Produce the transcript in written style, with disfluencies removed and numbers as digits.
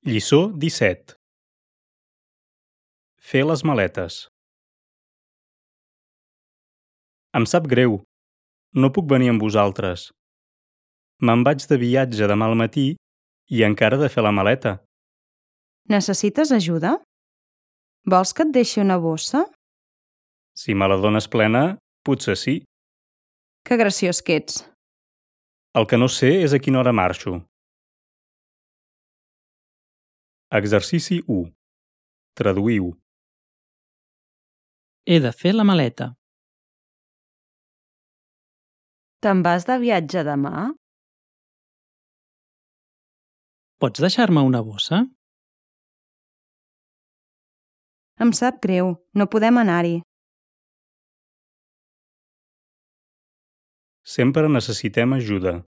Lliçó 17. Fer les maletes. Em sap greu, no puc venir amb vosaltres. Me'n vaig de viatge demà al matí i encara he de fer la maleta. Necessites ajuda? Vols que et deixi una bossa? Si me la dones plena, potser sí. Que graciós que ets. El que no sé és a quina hora marxo. Exercici 1. Traduïu. He de fer la maleta. Te'n vas de viatge demà? Pots deixar-me una bossa? Em sap greu, no podem anar-hi. Sempre necessitem ajuda.